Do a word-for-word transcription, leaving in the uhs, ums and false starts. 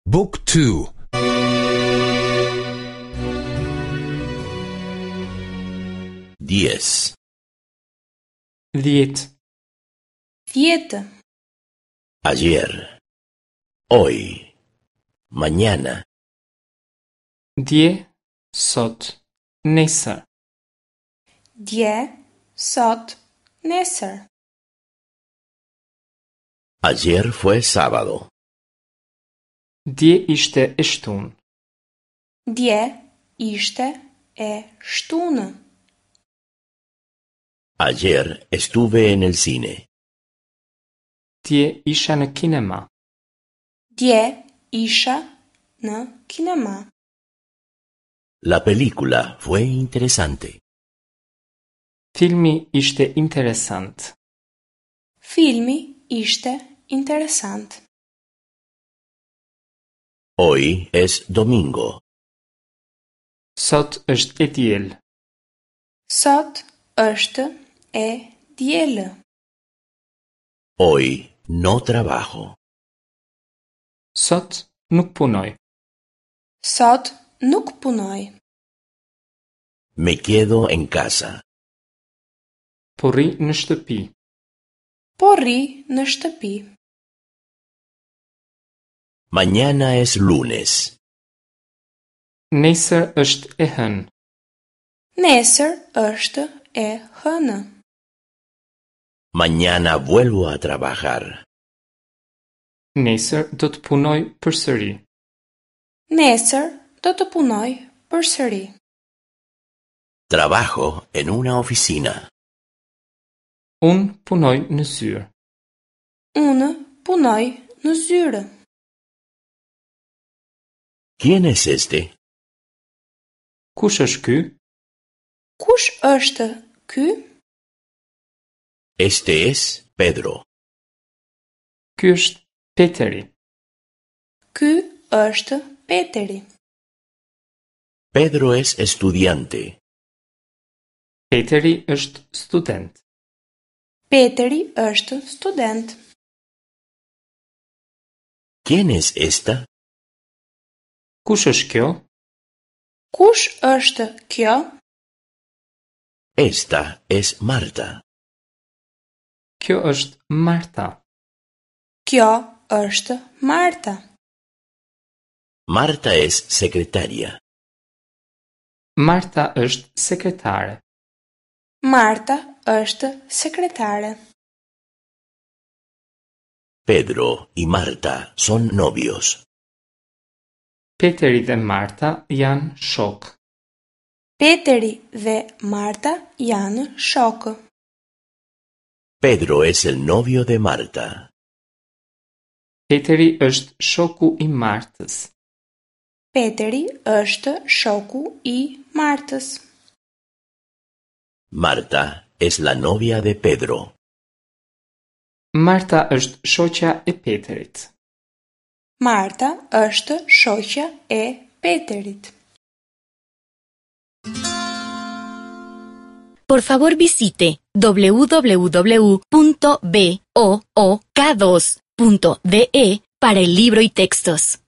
Book two. Diez. Dhjetë. Dhjetë. Ayer. Hoy. Mañana. Dje, sot, nesër. Dje, sot, nesër. Ayer fue sábado. Dje ishte e shtunë. Dje ishte e shtunë. Ayer estuve en el cine. Dje isha në kinema. Dje isha në kinema. La película fue interesante. Filmi ishte interesant. Filmi ishte interesant. Hoy es domingo. Sot është e diel. Sot është e diel. Hoy no trabajo. Sot nuk punoj. Sot nuk punoj. Me quedo en casa. Po rri në shtëpi. Po rri në shtëpi. Mañana es lunes. Nesër është e hënë. Nesër është e hënë. Mañana vuelvo a trabajar. Nesër do të punoj përsëri. Nesër do të punoj përsëri. Trabajo en una oficina. Unë punoj në zyrë. Unë punoj në zyrë. ¿Quién es este? Kush është ky? Kush është ky? Este es Pedro. Ky është Peteri. Ky është Peteri. Pedro es estudiante. Peteri është student. Peteri është student. ¿Quién es esta? Kush është kjo? Kush është kjo? Esta es Marta. Kjo është Marta. Kjo është Marta. Marta es secretaria. Marta është sekretare. Marta është sekretare. Pedro y Marta son novios. Peteri dhe Marta janë shokë. Peteri dhe Marta janë shokë. Pedro es el novio de Marta. Peteri është shoku i Martës. Peteri është shoku i Martës. Marta es la novia de Pedro. Marta është shoqja e Peterit. Marta është shoqja e Peterit. Por favor visite w w w punto b o o k dos punto d e para el libro y textos.